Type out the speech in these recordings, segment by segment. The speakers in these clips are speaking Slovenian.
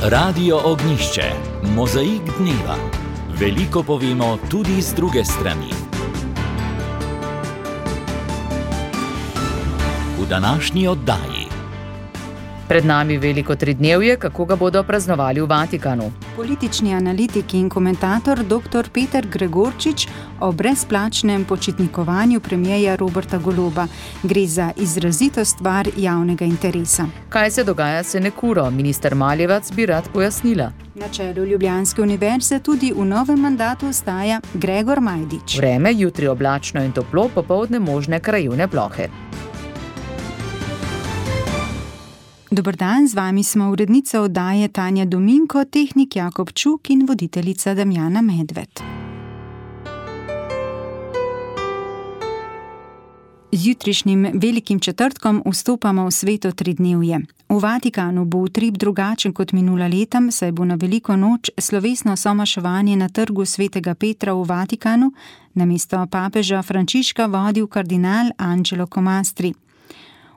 Radio Ognjišče, mozaik dneva. Veliko povemo tudi z druge strani. V današnji oddaji. Pred nami veliko tridnevje, kako ga bodo praznovali v Vatikanu. Politični analitik in komentator dr. Peter Gregorčič o brezplačnem počitnikovanju premierja Roberta Goloba. Gre za izrazito stvar javnega interesa. Kaj se dogaja s sinekuro? Minister Maljevac bi rad pojasnila. Na čelu Ljubljanske univerze tudi v novem mandatu ostaja Gregor Majdič. Vreme, jutri oblačno in toplo, popoldne možne krajevne plohe. Dober dan, z vami smo urednica oddaje Tanja Dominko, tehnik Jakob Čuk in voditeljica Damjana Medved. Z jutrišnjim velikim četrtkom vstopamo v sveto tridnevje. V Vatikanu bo utrip drugačen kot minula leta, saj bo na veliko noč slovesno somaševanje na trgu svetega Petra v Vatikanu namesto papeža Frančiška vodil kardinal Angelo Comastri.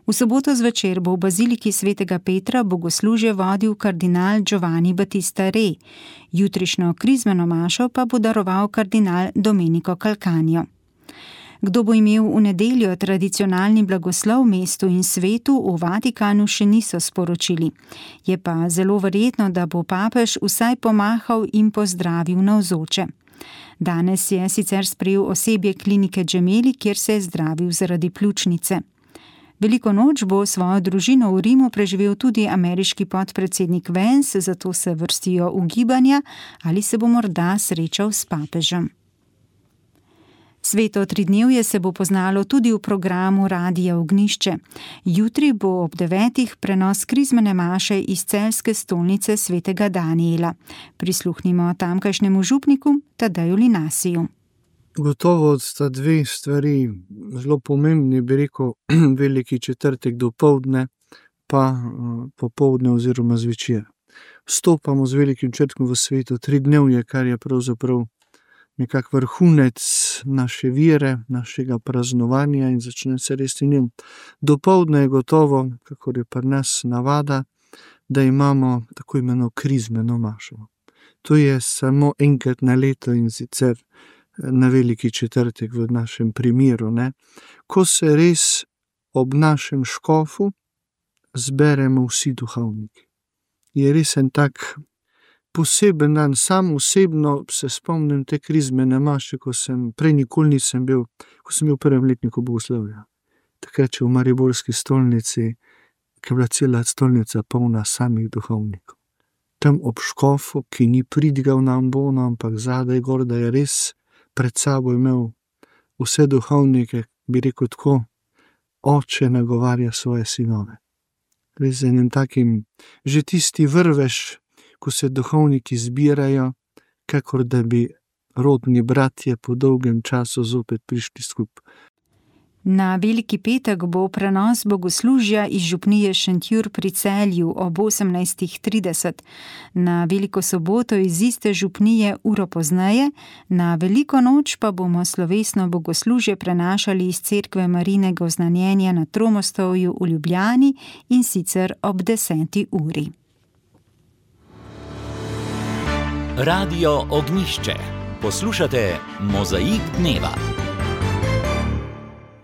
V soboto zvečer bo v baziliki svetega Petra bogoslužje vodil kardinal Giovanni Battista Re. Jutrišnjo krizmeno mašo pa bo daroval kardinal Domenico Calcagno. Kdo bo imel v nedeljo tradicionalni blagoslov mestu in svetu, v Vatikanu še niso sporočili. Je pa zelo verjetno, da bo papež vsaj pomahal in pozdravil navzoče. Danes je sicer sprejel osebje klinike Gemelli, kjer se je zdravil zaradi pljučnice. Veliko noč bo svojo družino v Rimu preživel tudi ameriški podpredsednik Vance, zato se vrstijo ugibanja, ali se bo morda srečal s papežem. Sveto tridnevje se bo poznalo tudi v programu Radia Ognjišče. Jutri bo ob 9. prenos krizmene maše iz celjske stolnice svetega Danijela. Prisluhnimo tamkajšnjemu župniku Tadeju Linasiju. Gotovo sta dve stvari zelo pomembni, bi rekel, veliki četrtek dopoldne, pa popoldne oziroma zvečer. Vstopamo z velikim četrtkom v sveto tridnevje, kar je pravzaprav nekak vrhunec naše vere, našega praznovanja in začne se res in njem. Dopoldne je gotovo, kakor je pri nas navada, da imamo tako imeno krizmeno mašo. To je samo enkrat na leto in sicer na veliki četrtek v našem primeru, ko se res ob našem škofu zberemo vsi duhovniki. Je res en tak poseben dan. Sam osebno se spomnim te krizmene maše, prej nikoli nisem bil, ko sem bil v prvem letniku bogoslovja. Takrat v mariborski stolnici, ki je bila cela stolnica polna samih duhovnikov. Tam ob škofu, ki ni pridigal na ambono, ampak zadaj gor, da je res pred sabo imel vse duhovnike, bi rekel tako, oče nagovarja svoje sinove. Res z enim takim, že tisti vrvež, ko se duhovniki zbirajo, kakor da bi rodni bratje po dolgem času zopet prišli skupaj. Na Veliki petek bo prenos bogoslužja iz župnije Šentjur pri Celju ob 18:30. Na Veliko soboto iz iste župnije uro pozneje, na Veliko noč pa bomo slovesno bogoslužje prenašali iz cerkve Marijinega oznanjenja na Tromostovju v Ljubljani in sicer ob 10. uri. Radio Ognjišče. Poslušate mozaik dneva.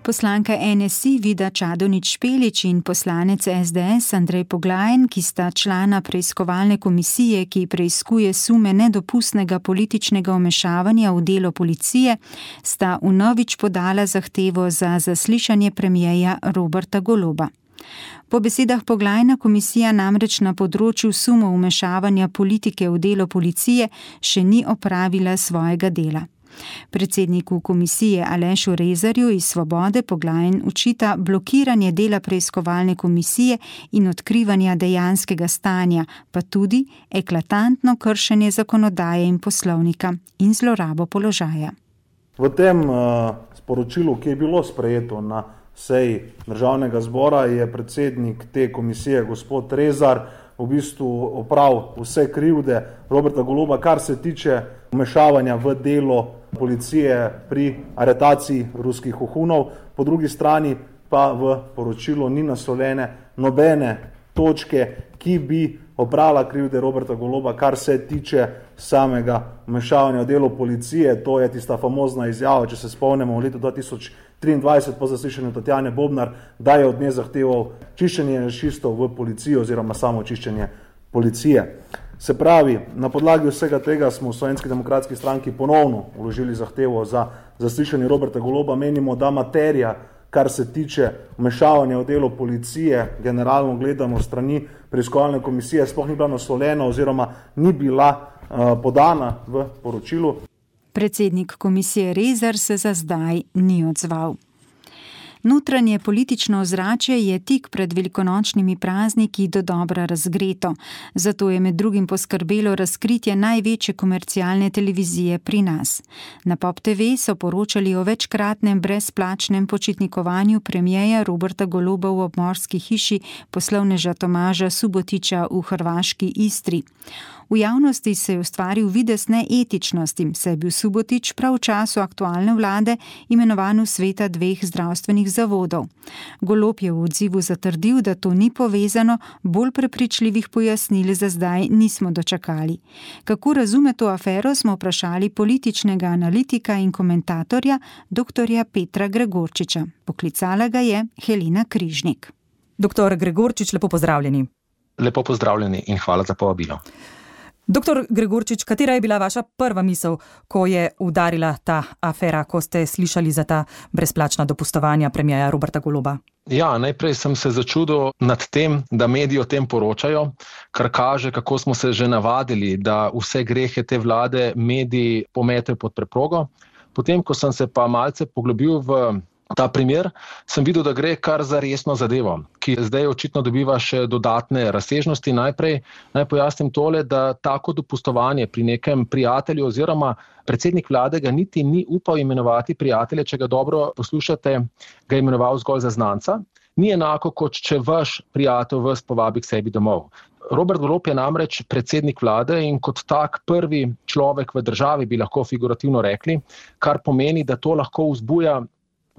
Poslanka NSI Vida Čadonič Špelič in poslanec SDS Andrej Poglajen, ki sta člana preiskovalne komisije, ki preiskuje sume nedopustnega političnega vmešavanja v delo policije, sta vnovič podala zahtevo za zaslišanje premierja Roberta Goloba. Po besedah Poglajna komisija namreč na področju sumov vmešavanja politike v delo policije še ni opravila svojega dela. Predsedniku komisije Alešu Rezarju iz Svobode Poglajen očita blokiranje dela preiskovalne komisije in odkrivanja dejanskega stanja, pa tudi eklatantno kršenje zakonodaje in poslovnika in zlorabo položaja. V tem sporočilu, ki je bilo sprejeto na seji Državnega zbora, je predsednik te komisije, gospod Rezar, v bistvu opravil vse krivde Roberta Goloba, kar se tiče vmešavanja v delo policije pri aretaciji ruskih vohunov. Po drugi strani pa v poročilu ni naslovljene nobene točke, ki bi oprala krivde Roberta Goloba, kar se tiče samega vmešavanja v delo policije. To je tista famozna izjava, če se spomnimo, v letu 2023 po zaslišanju Tatjane Bobnar, da je od nje zahteval čiščenje janšistov v policijo oziroma samo čiščenje policije. Se pravi, na podlagi vsega tega smo v Slovenski demokratski stranki ponovno vložili zahtevo za zaslišanje Roberta Goloba. Menimo, da materija, kar se tiče vmešavanja v delo policije, generalno gledano strani preiskovalne komisije, sploh ni bila naslovljena oziroma ni bila podana v poročilu. Predsednik komisije Rezar se za zdaj ni odzval. Notranje politično ozračje je tik pred velikonočnimi prazniki dodobra razgreto, zato je med drugim poskrbelo razkritje največje komercialne televizije pri nas. Na Pop TV so poročali o večkratnem brezplačnem počitnikovanju premierja Roberta Goloba v obmorski hiši poslovneža Tomaža Subotića v hrvaški Istri. V javnosti se je ustvaril videz neetičnosti, saj je bil Subotić prav v času aktualne vlade imenovan v sveta 2 zdravstvenih zavodov. Golob je v odzivu zatrdil, da to ni povezano, bolj prepričljivih pojasnil za zdaj nismo dočakali. Kako razume to afero, smo vprašali političnega analitika in komentatorja dr. Petra Gregorčiča. Poklicala ga je Helena Križnik. Dr. Gregorčič, lepo pozdravljeni. Lepo pozdravljeni in hvala za povabilo. Dr. Gregorčič, katera je bila vaša prva misel, ko je udarila ta afera, ko ste slišali za ta brezplačna dopustovanja premierja Roberta Goloba? Ja, najprej sem se začudil nad tem, da mediji o tem poročajo, kar kaže, kako smo se že navadili, da vse grehe te vlade mediji pometejo pod preprogo. Potem, ko sem se pa malce poglobil v ta primer, sem videl, da gre kar za resno zadevo, ki zdaj očitno dobiva še dodatne razsežnosti. Najprej naj pojasnim tole, da tako dopustovanje pri nekem prijatelju oziroma predsednik vlade ga niti ni upal imenovati prijatelje, če ga dobro poslušate, ga je imenoval zgolj za znanca. Ni enako, kot če vaš prijatelj vas povabi k sebi domov. Robert Golob je namreč predsednik vlade in kot tak prvi človek v državi, bi lahko figurativno rekli, kar pomeni, da to lahko vzbuja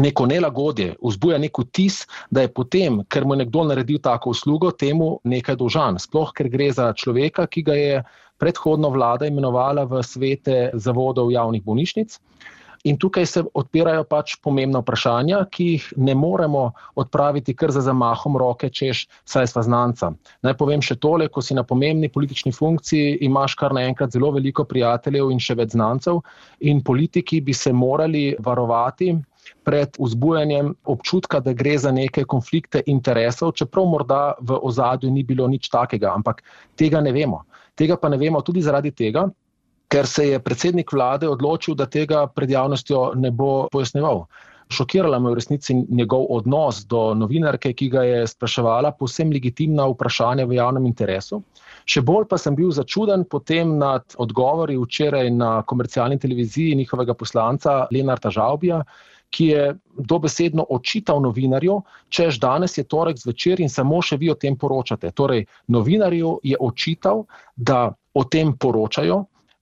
neko nelagodje, vzbuja nek vtis, da je potem, ker mu je nekdo naredil tako uslugo, temu nekaj dolžan. Sploh, ker gre za človeka, ki ga je predhodno vlada imenovala v svete zavodov javnih bolnišnic. In tukaj se odpirajo pač pomembna vprašanja, ki jih ne moremo odpraviti kar za zamahom roke, češ saj sva znanca. Naj povem še tole, ko si na pomembni politični funkciji, imaš kar naenkrat zelo veliko prijateljev in še več znancev in politiki bi se morali varovati pred vzbujanjem občutka, da gre za neke konflikte interesov, čeprav morda v ozadju ni bilo nič takega, ampak tega ne vemo. Tega pa ne vemo tudi zaradi tega, ker se je predsednik vlade odločil, da tega pred javnostjo ne bo pojasnjeval. Šokirala me v resnici njegov odnos do novinarke, ki ga je spraševala povsem legitimna vprašanja v javnem interesu. Še bolj pa sem bil začuden potem nad odgovori včeraj na komercialni televiziji njihovega poslanca Lenarta Žavbija, ki je dobesedno očital novinarju, češ danes je torek zvečer in samo še vi o tem poročate. Torej, novinarju je očital, da o tem poročajo,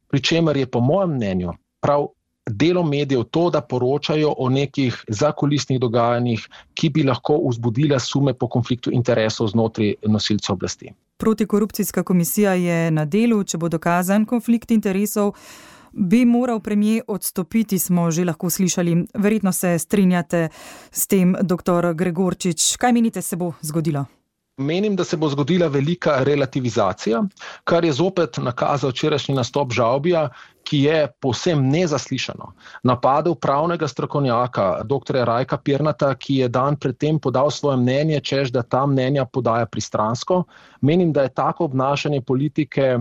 pri čemer je po mojem mnenju prav delo medijev to, da poročajo o nekih zakulisnih dogajanjih, ki bi lahko vzbudila sume po konfliktu interesov znotraj nosilcev oblasti. Protikorupcijska komisija je na delu, če bo dokazan konflikt interesov, bi moral premier odstopiti, smo že lahko slišali. Verjetno se strinjate s tem, dr. Gregorčič. Kaj menite, se bo zgodilo? Menim, da se bo zgodila velika relativizacija, kar je zopet nakazal včerajšnji nastop Žavbija, ki je povsem nezaslišano napadel pravnega strokovnjaka, dr. Rajka Pirnata, ki je dan predtem podal svoje mnenje, češ da ta mnenja podaja pristransko. Menim, da je tako obnašanje politike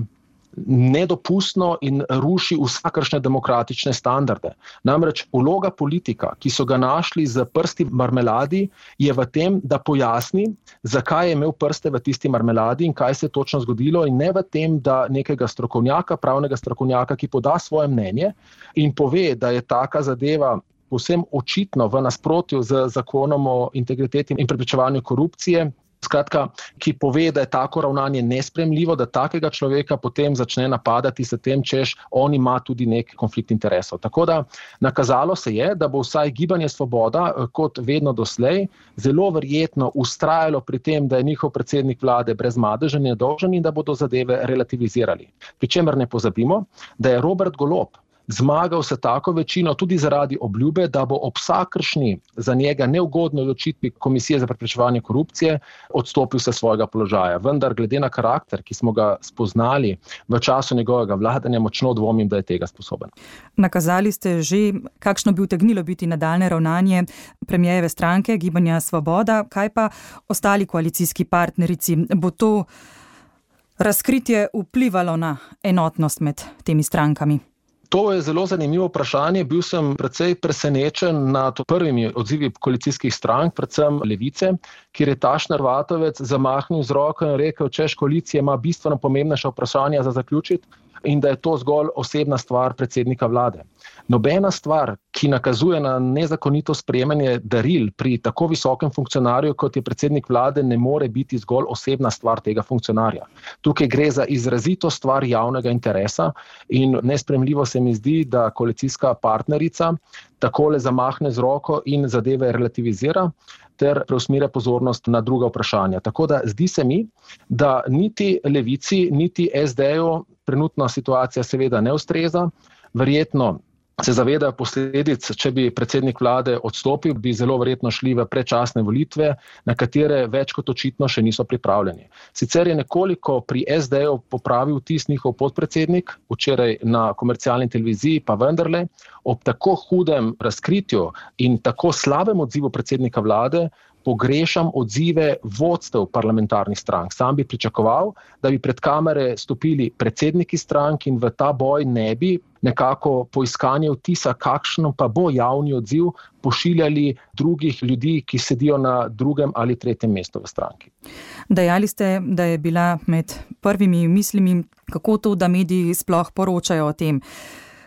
nedopustno in ruši vsakršne demokratične standarde. Namreč vloga politika, ki so ga našli z prsti v marmeladi, je v tem, da pojasni, zakaj je imel prste v tisti marmeladi in kaj se je točno zgodilo, in ne v tem, da nekega strokovnjaka, pravnega strokovnjaka, ki poda svoje mnenje in pove, da je taka zadeva povsem očitno v nasprotju z zakonom o integriteti in preprečevanju korupcije, Skratka, ki pove, da je tako ravnanje nesprejemljivo, da takega človeka potem začne napadati s tem, češ on ima tudi nek konflikt interesov. Tako da nakazalo se je, da bo vsaj Gibanje Svoboda, kot vedno doslej, zelo verjetno vztrajalo pri tem, da je njihov predsednik vlade brez madeža nedolžen in da bodo zadeve relativizirali. Pričemer ne pozabimo, da je Robert Golob zmagal se tako večino tudi zaradi obljube, da bo ob vsakršni za njega neugodni odločitvi Komisije za preprečevanje korupcije odstopil se svojega položaja. Vendar glede na karakter, ki smo ga spoznali v času njegovega vladanja, močno dvomim, da je tega sposoben. Nakazali ste že, kakšno bi utegnilo biti nadaljnje ravnanje premierjeve stranke Gibanja Svoboda, kaj pa ostali koalicijski partnerici? Bo to razkritje vplivalo na enotnost med temi strankami? To je zelo zanimivo vprašanje. Bil sem precej presenečen nad prvimi odzivi koalicijskih strank, predvsem Levice, kjer je Tašner Vatovec zamahnil z roko in rekel, češ koalicija ima bistveno pomembnejša vprašanja za zaključiti in da je to zgolj osebna stvar predsednika vlade. Nobena stvar, ki nakazuje na nezakonito sprejemanje daril pri tako visokem funkcionarju, kot je predsednik vlade, ne more biti zgolj osebna stvar tega funkcionarja. Tukaj gre za izrazito stvar javnega interesa in nesprejemljivo se mi zdi, da koalicijska partnerica takole zamahne z roko in zadeve relativizira ter preusmerja pozornost na druga vprašanja. Tako da zdi se mi, da niti Levici, niti SD-ju trenutna situacija seveda ne ustreza. Verjetno se zavedajo posledic, če bi predsednik vlade odstopil, bi zelo verjetno šli v predčasne volitve, na katere več kot očitno še niso pripravljeni. Sicer je nekoliko pri SD-ju popravil vtis njihov podpredsednik, včeraj na komercialni televiziji, pa vendarle, ob tako hudem razkritju in tako slabem odzivu predsednika vlade, pogrešam odzive vodstev parlamentarnih strank. Sam bi pričakoval, da bi pred kamere stopili predsedniki strank in v ta boj ne bi nekako po iskanju vtisa, kakšno pa bo javni odziv, pošiljali drugih ljudi, ki sedijo na drugem ali tretjem mestu v stranki. Dejali ste, da je bila med prvimi mislimi, kako to, da mediji sploh poročajo o tem.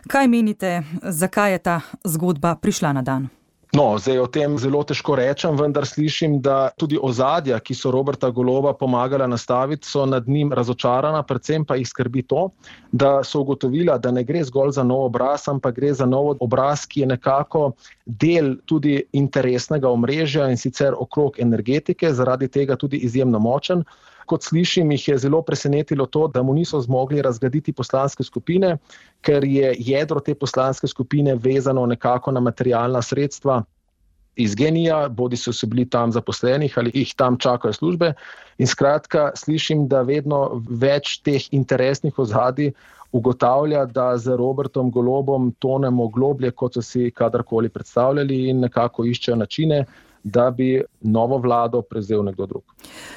Kaj menite, zakaj je ta zgodba prišla na dan? No, zdaj o tem zelo težko rečem, vendar slišim, da tudi ozadja, ki so Roberta Goloba pomagala nastaviti, so nad njim razočarana, predvsem pa jih skrbi to, da so ugotovila, da ne gre zgolj za nov obraz, ampak gre za nov obraz, ki je nekako del tudi interesnega omrežja in sicer okrog energetike, zaradi tega tudi izjemno močen. Kot slišim, jih je zelo presenetilo to, da mu niso zmogli razgraditi poslanske skupine, ker je jedro te poslanske skupine vezano nekako na materialna sredstva iz GEN-I-ja, bodi so bili tam zaposlenih ali jih tam čakajo službe. In skratka, slišim, da vedno več teh interesnih ozadij ugotavlja, da z Robertom Golobom tonemo globlje, kot so si kadarkoli predstavljali in nekako iščejo načine, da bi novo vlado prevzel nekdo drug.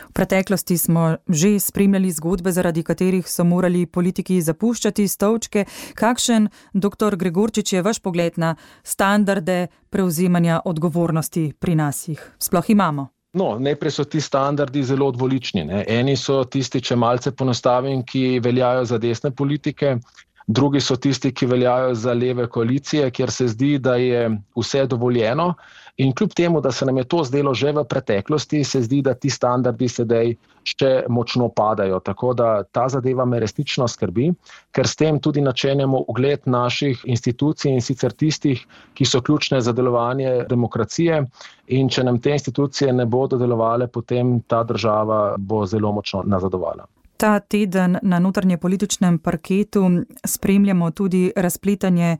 V preteklosti smo že spremljali zgodbe, zaradi katerih so morali politiki zapuščati stolčke. Kakšen, dr. Gregorčič, je vaš pogled na standarde prevzemanja odgovornosti pri nas jih sploh imamo? No, najprej so ti standardi zelo dvolični. Eni so tisti, če malce ponostavim, ki veljajo za desne politike, drugi so tisti, ki veljajo za leve koalicije, kjer se zdi, da je vse dovoljeno. In kljub temu, da se nam je to zdelo že v preteklosti, se zdi, da ti standardi sedaj še močno padajo. Tako da ta zadeva me resnično skrbi, ker s tem tudi načenjamo ugled naših institucij in sicer tistih, ki so ključne za delovanje demokracije. In če nam te institucije ne bodo delovale, potem ta država bo zelo močno nazadovala. Ta teden na notranjepolitičnem parketu spremljamo tudi razpletanje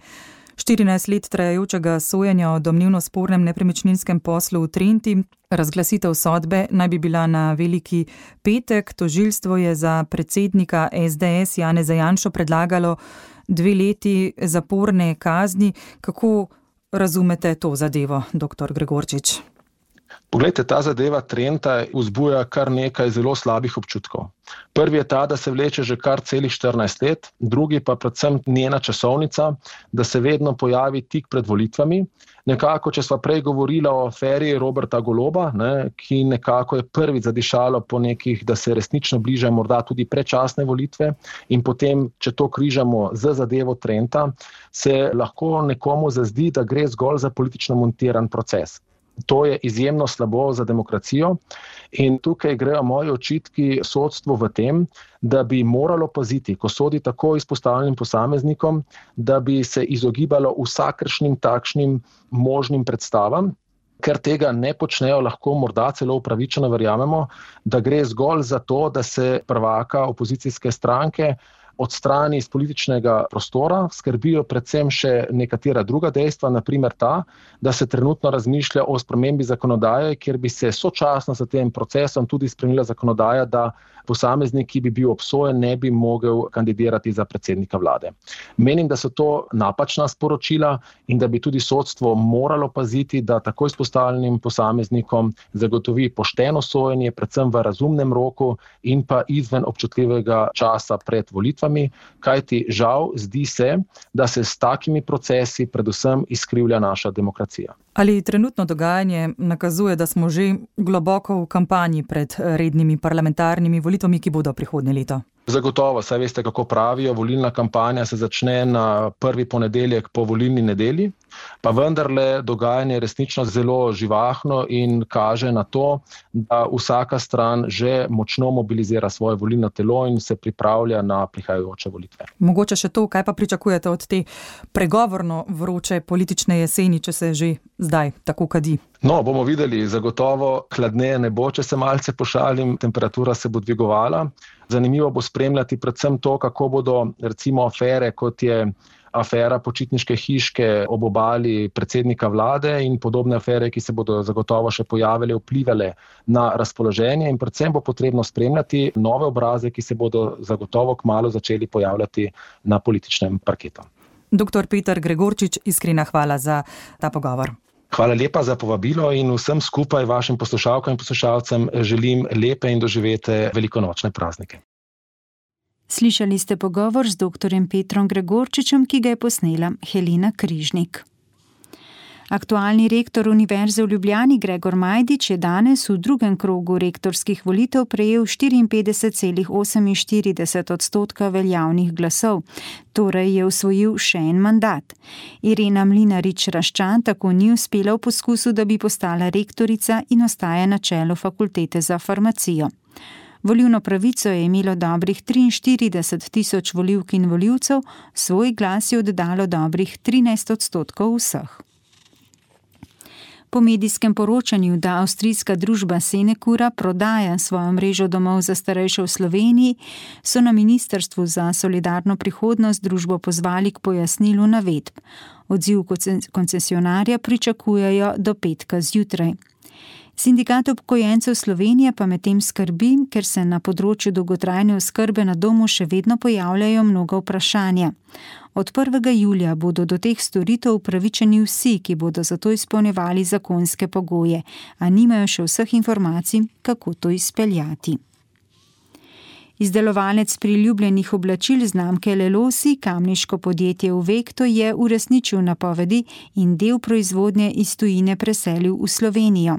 14 let trajajočega sojenja o domnevno spornem nepremičninskem poslu v Trenti. Razglasitev sodbe naj bi bila na Veliki petek. Tožilstvo je za predsednika SDS Janeza Janšo predlagalo 2 leti zaporne kazni. Kako razumete to zadevo, dr. Gregorčič? Poglejte, ta zadeva Trenta vzbuja kar nekaj zelo slabih občutkov. Prvi je ta, da se vleče že kar celih 14 let, drugi pa predvsem njena časovnica, da se vedno pojavi tik pred volitvami. Nekako, če sva prej govorila o aferi Roberta Goloba, ki nekako je prvič zadišalo po nekih, da se resnično bližajo morda tudi predčasne volitve in potem, če to križamo z zadevo Trenta, se lahko nekomu zazdi, da gre zgolj za politično montiran proces. To je izjemno slabo za demokracijo in tukaj grejo moji očitki sodstvu v tem, da bi moralo paziti, ko sodi tako izpostavljenim posameznikom, da bi se izogibalo vsakršnim takšnim možnim predstavam, ker tega ne počnejo, lahko morda celo upravičeno verjamemo, da gre zgolj za to, da se prvaka opozicijske stranke odstrani iz političnega prostora, skrbijo predvsem še nekatera druga dejstva, naprimer ta, da se trenutno razmišlja o spremembi zakonodaje, kjer bi se sočasno s tem procesom tudi spremenila zakonodaja, da posameznik, ki bi bil obsojen, ne bi mogel kandidirati za predsednika vlade. Menim, da so to napačna sporočila in da bi tudi sodstvo moralo paziti, da tako izpostavljenim posameznikom zagotovi pošteno sojenje, predvsem v razumnem roku in pa izven občutljivega časa pred volitvami, kajti žal zdi se, da se s takimi procesi predvsem izkrivlja naša demokracija. Ali trenutno dogajanje nakazuje, da smo že globoko v kampanji pred rednimi parlamentarnimi volitvami, ki bodo prihodnje leto? Zagotovo, saj veste, kako pravijo, volilna kampanja se začne na prvi ponedeljek po volilni nedelji, pa vendarle dogajanje je resnično zelo živahno in kaže na to, da vsaka stran že močno mobilizira svoje volilno telo in se pripravlja na prihajajoče volitve. Mogoče še to, kaj pa pričakujete od te pregovorno vroče politične jeseni, če se že zdaj tako kadi? No, bomo videli, zagotovo hladneje ne bo, če se malce pošalim, temperatura se bo dvigovala. Zanimivo bo spremljati predvsem to, kako bodo recimo afere, kot je afera počitniške hiške ob obali predsednika vlade in podobne afere, ki se bodo zagotovo še pojavile, vplivale na razpoloženje in predvsem bo potrebno spremljati nove obraze, ki se bodo zagotovo kmalu začeli pojavljati na političnem parketu. Dr. Peter Gregorčič, iskrena hvala za ta pogovor. Hvala lepa za povabilo in vsem skupaj vašim poslušalkam in poslušalcem želim lepe in doživete velikonočne praznike. Slišali ste pogovor z dr. Petrom Gregorčičem, ki ga je posnela Helena Križnik. Aktualni rektor Univerze v Ljubljani Gregor Majdič je danes v drugem krogu rektorskih volitev prejel 54,48% veljavnih glasov, torej je osvojil še en mandat. Irena Mlinarič-Raščan tako ni uspela v poskusu, da bi postala rektorica in ostaja na čelu fakultete za farmacijo. Volilno pravico je imelo dobrih 43.000 volivk in volivcev, svoj glas je oddalo dobrih 13% vseh. Po medijskem poročanju, da avstrijska družba Senecura prodaja svojo mrežo domov za starejše v Sloveniji, so na Ministrstvu za solidarno prihodnost družbo pozvali k pojasnilu navedb. Odziv koncesionarja pričakujejo do petka zjutraj. Sindikat upokojencev Slovenije pa medtem skrbi, ker se na področju dolgotrajne oskrbe na domu še vedno pojavljajo mnoga vprašanja. Od 1. julija bodo do teh storitev upravičeni vsi, ki bodo zato izpolnjevali zakonske pogoje, a nimajo še vseh informacij, kako to izpeljati. Izdelovalec priljubljenih oblačil znamke Lelosi, kamniško podjetje Uvekto, je uresničil napovedi in del proizvodnje iz tujine preselil v Slovenijo.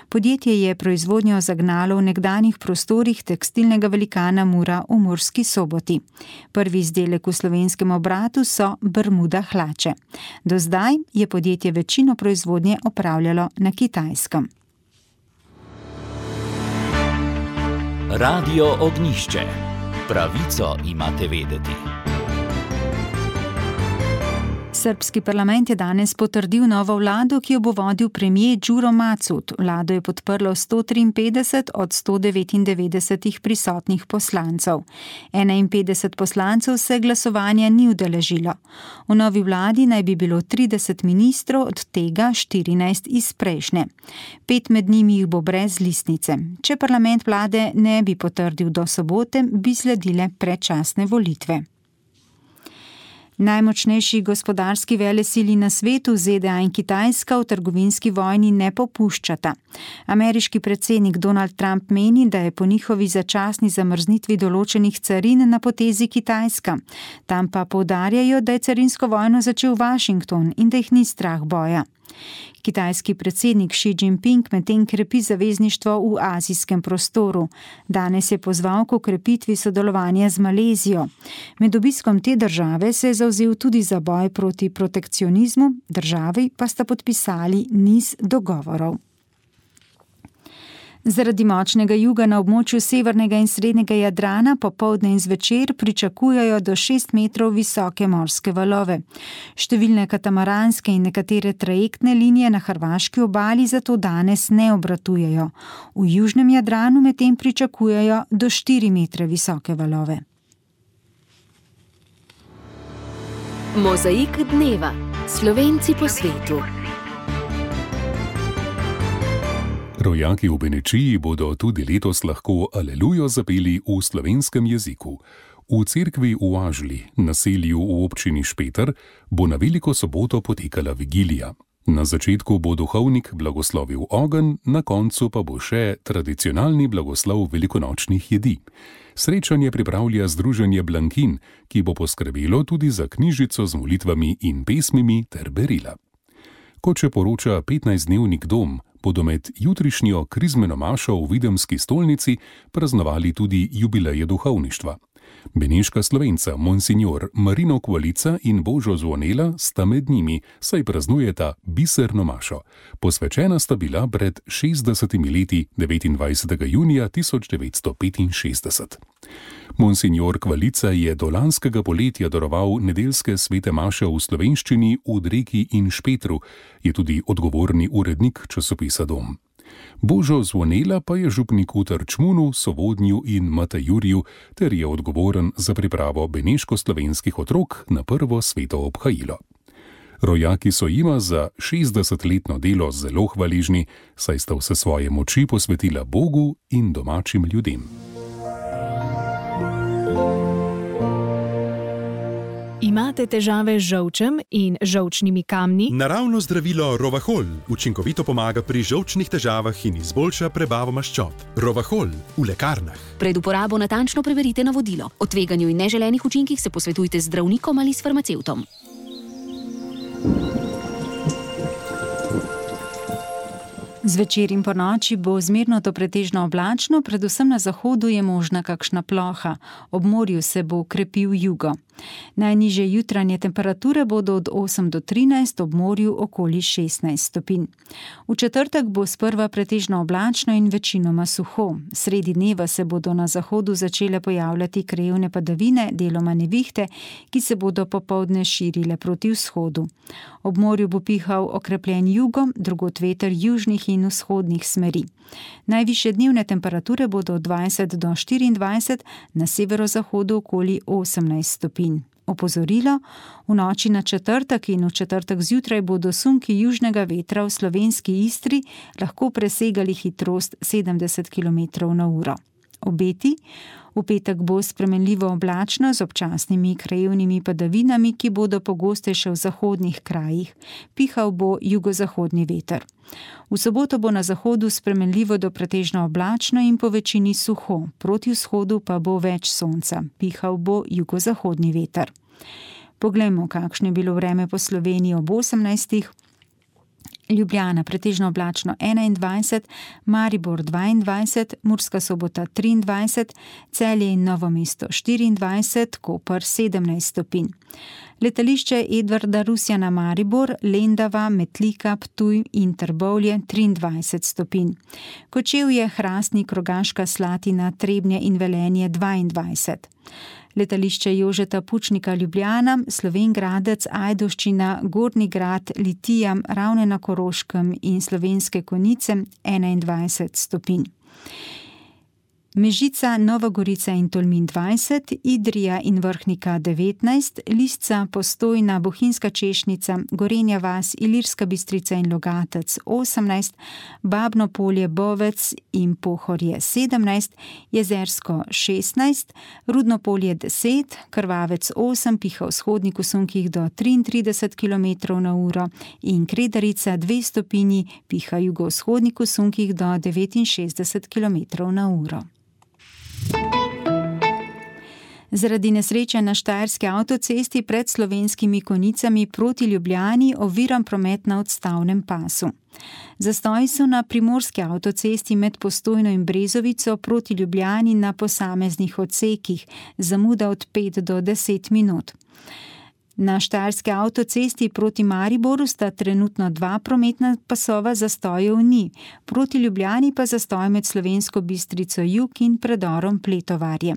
Podjetje je proizvodnjo zagnalo v nekdanjih prostorih tekstilnega velikana Mura v Murski Soboti. Prvi izdelek v slovenskem obratu so Bermuda hlače. Do zdaj je podjetje večino proizvodnje opravljalo na Kitajskem. Radio Ognjišče. Pravico imate vedeti. Srbski parlament je danes potrdil novo vlado, ki jo bo vodil premier Đuro Macut. Vlado je podprlo 153 od 199 prisotnih poslancev. 51 poslancev se glasovanja ni udeležilo. V novi vladi naj bi bilo 30 ministrov, od tega 14 iz prejšnje. 5 med njimi jih bo brez listnice. Če parlament vlade ne bi potrdil do sobote, bi sledile predčasne volitve. Najmočnejši gospodarski velesili na svetu, ZDA in Kitajska, v trgovinski vojni ne popuščata. Ameriški predsednik Donald Trump meni, da je po njihovi začasni zamrznitvi določenih carin na potezi Kitajska. Tam pa poudarjajo, da je carinsko vojno začel Washington in da jih ni strah boja. Kitajski predsednik Xi Jinping medtem krepi zavezništvo v azijskem prostoru. Danes je pozval k okrepitvi sodelovanja z Malezijo. Med obiskom te države se je zavzel tudi za boj proti protekcionizmu, državi pa sta podpisali niz dogovorov. Zaradi močnega juga na območju severnega in srednjega Jadrana popoldne in zvečer pričakujejo do 6 metrov visoke morske valove. Številne katamaranske in nekatere trajektne linije na hrvaški obali zato danes ne obratujejo. V južnem Jadranu medtem pričakujejo do 4 metre visoke valove. Mozaik dneva. Slovenci po svetu. Rojaki v Benečiji bodo tudi letos lahko Alelujo zapeli v slovenskem jeziku. V cerkvi v Ažli, naselju v občini Špeter, bo na Veliko soboto potekala vigilija. Na začetku bo duhovnik blagoslovil ogenj, na koncu pa bo še tradicionalni blagoslov velikonočnih jedi. Srečanje pripravlja Združenje Blankin, ki bo poskrbelo tudi za knjižico z molitvami in pesmimi ter berila. Kot še poroča 15-dnevnik Dom, bodo med jutrišnjo krizmeno mašo v Videmski stolnici praznovali tudi jubileje duhovništva. Beneška Slovenca, monsignor Marino Kvalica in Božo Zvonela sta med njimi, saj praznujeta biserno mašo. Posvečena sta bila pred 60 leti 29. junija 1965. Monsignor Kvalica je do lanskega poletja daroval nedeljske svete maše v slovenščini v Dreki in Špetru, je tudi odgovorni urednik časopisa Dom. Božo Zvonela pa je župnik v Trčmunu, Sovodnju in Matajurju ter je odgovoren za pripravo beneško-slovenskih otrok na prvo sveto obhajilo. Rojaki so jima za 60-letno delo zelo hvaležni, saj sta vse svoje moči posvetila Bogu in domačim ljudem. Imate težave z žolčem in žolčnimi kamni? Naravno zdravilo Rovahol učinkovito pomaga pri žolčnih težavah in izboljša prebavo maščob. Rovahol v lekarnah. Pred uporabo natančno preverite navodilo. O tveganju in neželenih učinkih se posvetujte z zdravnikom ali s farmacevtom. Zvečer in ponoči bo zmerno do pretežno oblačno, predvsem na zahodu je možna kakšna ploha. Ob morju se bo krepil jugo. Najnižje jutranje temperature bodo od 8 do 13, ob morju okoli 16 stopinj. V četrtek bo sprva pretežno oblačno in večinoma suho. Sredi dneva se bodo na zahodu začele pojavljati krajevne padavine, deloma nevihte, ki se bodo popoldne širile proti vzhodu. Ob morju bo pihal okrepljen jugo, drugod veter južnih in vzhodnih smeri. Najvišje dnevne temperature bodo od 20 do 24, na severozahodu okoli 18 stopinj. Opozorilo, v noči na četrtek in v četrtek zjutraj bodo sunki južnega vetra v slovenski Istri lahko presegali hitrost 70 km/h. Obeti, v petek bo spremenljivo oblačno z občasnimi krajevnimi padavinami, ki bodo pogostejše v zahodnih krajih. Pihal bo jugozahodni veter. V soboto bo na zahodu spremenljivo do pretežno oblačno in po večini suho, proti vzhodu pa bo več sonca. Pihal bo jugozahodni veter. Poglejmo, kakšno je bilo vreme po Sloveniji ob 18. Ljubljana pretežno oblačno 21, Maribor 22, Murska Sobota 23, Celje in Novo mesto 24, Koper 17 stopinj. Letališče Edvarda Rusjana Maribor, Lendava, Metlika, Ptuj in Trbovlje 23 stopinj. Kočevje, Hrastnik, Rogaška Slatina, Trebnje in Velenje 22. Letališče Jožeta Pučnika Ljubljana, Slovenj Gradec, Ajdovščina, Gornji Grad, Litija, Ravne na Koroškem in Slovenske Konjice 21 stopinj. Mežica, Nova Gorica in Tolmin 20, Idrija in Vrhnika 19, Lisca, Postojna, Bohinjska Češnica, Gorenja vas, Ilirska Bistrica in Logatec 18, Babno Polje, Bovec in Pohorje 17, Jezersko 16, Rudno Polje 10, Krvavec 8, piha v vzhodnih sunkih do 33 km/h in Kredarica 2 stopinji, piha jugovzhodnih sunkih do 69 km/h. Zaradi nesreče na Štajerski avtocesti pred Slovenskimi Konjicami proti Ljubljani oviran promet na odstavnem pasu. Zastoji so na Primorski avtocesti med Postojno in Brezovico proti Ljubljani na posameznih odsekih, zamuda od 5 do 10 minut. Na Štajerski avtocesti proti Mariboru sta trenutno 2 prometna pasova, zastojev ni. Proti Ljubljani pa zastoj med Slovensko Bistrico jug in predorom Pletovarje.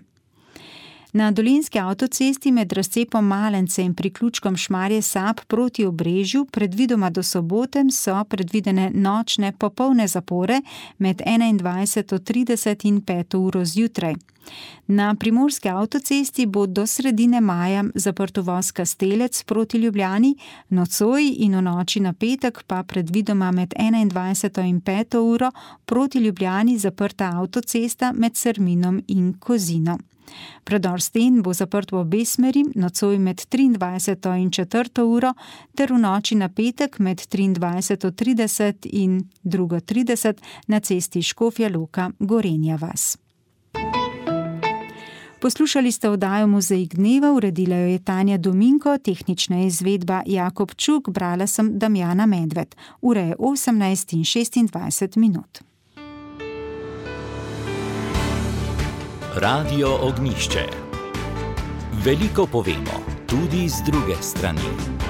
Na Dolenjski avtocesti med razcepom Malence in priključkom Šmarje Sap proti Obrežju predvidoma do sobote so predvidene nočne popolne zapore med 21:30 in 5 uro zjutraj. Na Primorski avtocesti bo do sredine maja zaprt uvoz Kastelec proti Ljubljani, nocoj in v noči na petek pa predvidoma med 21. in 5. uro proti Ljubljani zaprta avtocesta med Serminom in Kozino. Predor Sten bo zaprt v obe smeri, nocoj med 23. in 4. uro ter v noči na petek med 23:30 in 2:30 na cesti Škofja Loka Gorenja vas. Poslušali ste oddajo Mozaik dneva, uredila jo je Tanja Dominko, tehnična izvedba Jakob Čuk, brala sem Damjana Medved. Ura je 18:26 minut. Radio Ognjišče. Veliko povemo, tudi z druge strani.